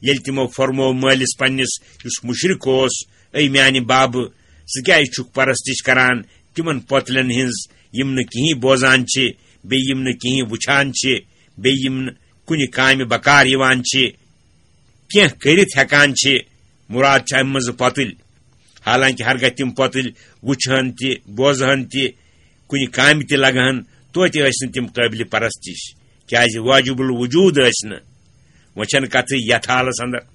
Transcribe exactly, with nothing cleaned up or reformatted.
ییٚلہِ تِمو فرموو مٲلِس پننِس، یُس مُشرِک اوس، "اے میانہِ بابہٕ، ژٕ کیازِ چھُکھ پرستش کران تِمن پۄتلٮ۪ن ہٕنٛز، یِم نہٕ کِہیٖنۍ بوزان چھِ، بیٚیہِ یِم نہٕ کِہیٖنۍ وٕچھان چھِ، بیٚیہِ یِم نہٕ کُنہِ کامہِ بکار یِوان چھِ، کینٛہہ کٔرِتھ ہٮ۪کان چھِ؟" مراد چھِ اَمہِ منٛزٕ پۄتٕلۍ۔ حالانکہِ ہرگاہ تِم پۄتٕلۍ وٕچھہن تہِ، بوزہن تہِ، کُنہِ کامہِ تہِ لگہن، توتہِ ٲسۍ نہٕ تِم قٲبلِ پرستش، کیازِ واجب الوجود ٲسۍ نہٕ۔ وۄنۍ چھَنہٕ کتھٕے یتھ حالس اندر۔